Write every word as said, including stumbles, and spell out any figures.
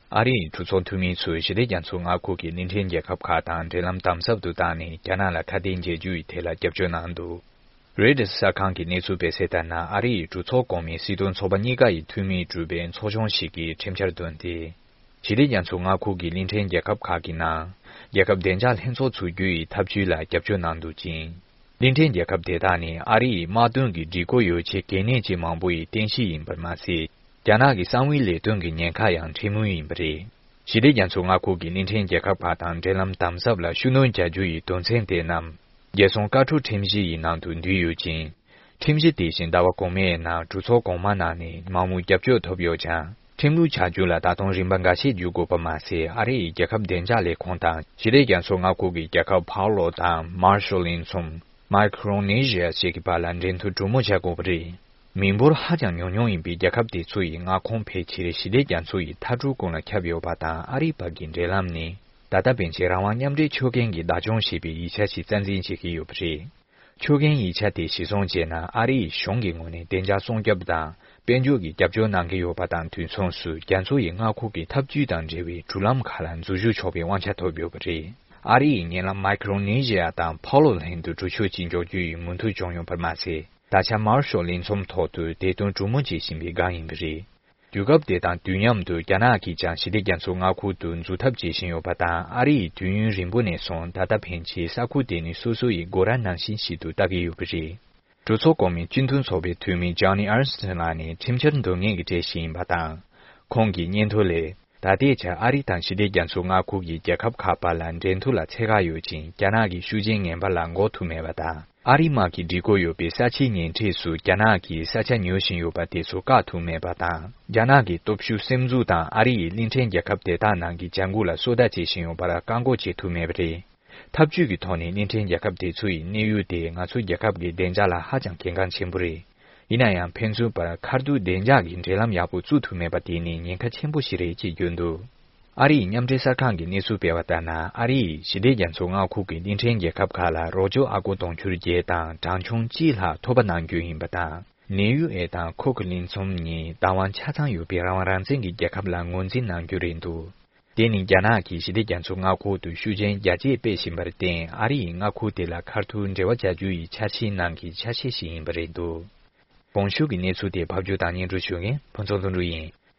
ཨ་རིའི་གྲོས་ཚོགས་འཐུས་མི་ཚོས་ཞི་བདེ་རྒྱ་མཚོའི་མངའ་ཁུལ་གྱི་གླིང་ཕྲན་རྒྱལ་ཁབ་ཁག་དང་འབྲེལ་ལམ་དམ་ཟབ་ཏུ་བཏང་ནས་རྒྱ་ནག་ལ་ཁ་གཏད་འཇལ་རྒྱུ་ཡི་ཐད་ལ་རྒྱབ་སྐྱོར་གནང་འདུག་རོའི་ཊར་གསར་ཁང་གི་གནས་ཚུལ་སྤེལ་གསལ་ལྟར་ན། ཨ་རི་ཡི་གྲོས་ཚོགས་གོང་མའི་སྲིད་དོན་ཚོགས་པ་གཉིས་ཀ་ཡི་འཐུས་མིས་གྲུབ་པའི་ཚོགས་ཆུང་ཞིག་གིས་ཁྲིམས་འཆར་བཏོན་ཏེ། ཞི་བདེ་རྒྱ་མཚོའི་མངའ་ཁུལ་གྱི་གླིང་ཕྲན་རྒྱལ་ཁབ་ཁག་གི་ནང་། རྒྱལ་ཁབ་བདེ་འཇགས་ལྷན་ཚོགས་འཛུགས་རྒྱུ་ཡི་ཐབས་ཇུས་ལ་རྒྱབ་སྐྱོར་གནང་འདུག་ཅིང་། གླིང་ཕྲན་རྒྱལ་ཁབ་དེ་དག་ནི་ཨ་རི་ཡི་དམག་དོན་གྱི་སྒྲིག་བཀོད་ཡོ་ཆས་གལ་གནད་ཅན་མང་པོ་ཡི་རྟེན་གཞི་ཡིན་པར་མ་ཟད། རྒྱ་ནག་གི་གསང་བའི་ལས་དོན་གྱི་ཉེན་ཁ་ཡང་འཕྲད་མུས་ཡིན་པ་རེད། ཞི་བདེ་རྒྱ་མཚོའི་མངའ་ཁུལ་གྱི་གླིང་ཕྲན་རྒྱལ་ཁབ་ཁག་དང་འབྲེལ་ལམ་དམ་ཟབ་ལ་ཤུགས་སྣོན་རྒྱག་རྒྱུ་ཡི་དོན་ཚན་དེ་རྣམས། རྒྱལ་སྲུང་བཀའ་འཁྲོལ་ཁྲིམས་གཞི་ཡི་ནང་དུ་འདུས་ཡོད་ཅིང་། ཁྲིམས་གཞི་དེ་བཞིན་ཟླ་བ་གོང་མའི་ནང་གྲོས་ཚོགས་གོང་མ་ནང་ནས་མང་མོས་རྒྱབ་སྐྱོར་ཐོབ་ཡོད་ཀྱང་། ཁྲིམས་ལུགས་ཆགས་རྒྱུ་ལ་ད་དུང་རིམ་པ་འགའ་ཤས་བརྒྱུད་དགོས་པ་མ་ཟད། ཨ་རི་ཡི་རྒྱལ་ཁབ་བདེ་འཇགས་ལས་ཁུངས་དང་ཞི་བདེ་རྒྱ་མཚོའི་མངའ་ཁུལ་གྱི་རྒྱལ་ཁབ་ཕའོ་ལོ་དང་མར་ཤལ་གླིང་ཚོམ། མའི་ཁི་རོ་ནེ་ཤི་ཡ་བཅས་ཀྱི་བར་ལ་འབྲེལ་མཐུད་གྲོས་མོལ་བྱ་དགོས་པ་རེད། མི་འབོར་ཧ་ཅང་ཉུང་ཉུང་ཡིན་པའི་རྒྱལ་ཁབ་དེ་ཚོ་ཡི་མངའ་ཁོངས་ཕལ་ཆེར་ཞི་བདེ་རྒྱ་མཚོ་ཡི་མཐའ་གྲུ་ཀུན་ལ་ཁྱབ་ཡོད་པ་དང་། ཨ་རིའི་བར་གྱི་འབྲེལ་ལམ་ནི་ད་ལྟ་ཕན་ཆད་རང་དབང་མཉམ་འབྲེལ་ཆོད་གན་གྱི་བདག་སྐྱོང་བྱེད་པའི་ཡིག་ཆ་ཞིག་རྩ་འཛིན་བྱེད་ཀྱི་ཡོད་པ་རེད། ཆོད་གན་ཡིག་ཆ་དེ་གཞིར་བཟུང་བྱས་ན། ཨ་རིའི་གཞུང་གི་ངོས་ནས་བདེ་འཇགས་སྲུང་སྐྱོབ་དང་དཔལ་འབྱོར་གྱི་རྒྱབ་སྐྱོར་གནང་གི་ཡོད་པ་དང་དུས་མཚུངས་སུ། རྒྱ་མཚོ་ཡི་མངའ་ཁུལ་གྱི་འཐབ་ཇུས་དང་འབྲེལ་བའི་འབྲུག་ལམ་ཁག་ལ་འཛུལ་ཞུགས་ཆོག་པའི་དབང་ཆ་ཐོབ་ཡོད་པ་རེད། ཨ་རི་ཡི་ཉེ་ལམ་མའི་ཁི་རོ་ནེ་ཤི་ཡ་དང་ཕའོ་ལོ་ལྷན་དུ་གྲོས་ཆོད་ཅིག་འཇོག་རྒྱུ་ཡི་མོས་མཐུན་བྱུང་ཡོད་པར་མ་ཟད། ད་ཆ་མར་ཤལ་གླིང་ཚོམ་ཐོག་ཏུ་དེ་དོན་གྲོས་མོལ་བྱེད་བཞིན་པའི་སྒང་ཡིན་པ་རེད། དུས་སྐབས་དེ་དང་དུས་མཉམ་དུ་རྒྱ་ནག་གིས་ཀྱང་ཞི་བདེ་རྒྱ་མཚོའི་མངའ་ཁུལ་དུ་འཛུལ་ཐབས་བྱེད་བཞིན་ཡོད་པ་དང་། ཨ་རི་ཡིས་དུས་ཡུན་རིང་པོ་ནས་བཟུང་ད་ལྟ་ཕན་ཆད་ས་ཁུལ་དེ་ནི་སོ་སོ་ཡི་སྒོ་ར་ནང་བཞིན་ཞིག་ཏུ་ལྟ་གི་ཡོད་པ་རེད། གྲོས་ཚོགས་གོང་མའི་སྤྱི་འཐུས་ཚོགས་པའི་འཐུས་མི་ཇོ་ནི་ཨར་སི་ཊོན་ལགས་ནི་ཁྲིམས་འཆར་འདོན་མཁན་གྱི་གྲས་ཤིག་ཡིན་པ་དང་། ཁོང་གི་སྙན་ཐོ་ལས། ད་ལྟའི་ཆར་ཨ་རི་དང་ཞི་བདེ་རྒྱ་མཚོའི་མངའ་ཁུལ་གྱི་རྒྱལ་ཁབ་ཁག་བར་ལ་འབྲེལ་མཐུད་ལ་ཚད་བཀག་ཡོད་ཅིང་། རྒྱ་ནག་གི་ཤུགས་རྐྱེན་ངན་པ་ལ་འགོག་ཐུབ་མེད་པ་དང་། ཨ་རིའི་དམག་གི་སྒྲིག་བཀོད་ཡོད་པའི་ས་ཆའི་ཉེ་འཁྲིས་སུ་རྒྱ་ནག་གིས་ས་ཆ་ཉོ་བཞིན་ཡོད་པ་དེ་ཚོ་བཀག་ཐུབ་མེད་པ་དང་། རྒྱ་ནག་གི་སྟོབས་ཤུགས་སེམས་འཛུགས་དང་ཨ་རི་ཡི་གླིང་ཕྲན་རྒྱལ་ཁབ་དེ་དག་ནང་གི་བྱ་འགུལ་ལ་སོ་ལྟ་བྱེད་བཞིན་ཡོད་པར་བཀག་འགོག་བྱེད་ཐུབ་མེད་པ་རེད། འཐབ་ཇུས་ཀྱི་ཐོག་ནས་གླིང་ཕྲན་རྒྱལ་ཁབ་དེ་ཚོ་ཡི་གནས་ཡུལ་དེ་ང་ཚོའི་རྒྱལ་ཁབ་ཀྱི་བདེ་འཇགས་ལ་ཧ་ཅང་གལ་འགངས་ཆེན་པོ་རེད། ཡིན་ན་ཡང་ཕན་ཚུན་བར་མཁར་གདུགས་བདེ་འཇགས་ཀྱི་འབྲེལ་ལམ་ཡག་པོ་བཙུགས་ཐུབ་མེད་པ་དེ་ནི་ཉེན་ཁ་ཆེན་པོ་ཞིག་རེད་ཅེས་བརྗོད་འདུག་ཨ་རིའི་མཉམ་འབྲེལ་གསར་ཁང་གི་གནས་ཚུལ་སྤེལ་བ་ལྟར་ན། ཨ་རིས་ཞི་བདེ་རྒྱ་མཚོའི་མངའ་ཁུལ་གྱི་གླིང་ཕྲན་རྒྱལ་ཁབ་ཁག་ལ་རོགས་སྐྱོར་ཨ་སྒོར་དུང་ཕྱུར་བརྒྱད་དང་གྲངས་ཆུང་གཅིག་ལྷག་ཐོབ་པ་གནང་རྒྱུ་ཡིན་པ་དང་། ནེའུ་ཨེ་དང་ཁུག་གླིང་ཚོམ་གཉིས་བདག་དབང་ཆ་ཚང་ཡོད་པའི་རང་དབང་རང་བཙན་གྱི་རྒྱལ་ཁབ་ལ་ངོས་འཛིན་གནང་རྒྱུ་རེད་འདུག་དེ་ནི་རྒྱ་ནག་གིས་ཞི་བདེ་རྒྱ་མཚོའི་མངའ་ཁུལ་དུ་ཤུགས་རྐྱེན་རྒྱ་སྐྱེད་སྤེལ་བཞིན་པར་བརྟེན། ཨ་རི་ཡི་མངའ་ཁུལ་དེ་ལ་མཁར་ཐུག་འབྲེལ་བ་བྱ་རྒྱུ་ཡི་འཆར་གཞིའི་ནང་གི་ཆ་ཤས་ཤིག་ཡིན་པ་རེད་འདུག་གོང་ཞུས་ཀྱི་གནས་ཚུལ་དེ་ཕབ་སྒྱུར་དང་སྙན་སྒྲོན་ཞུ་མཁན་ཕུན་ཚོགས་ལྷུན་གྲུབ་ཡིན།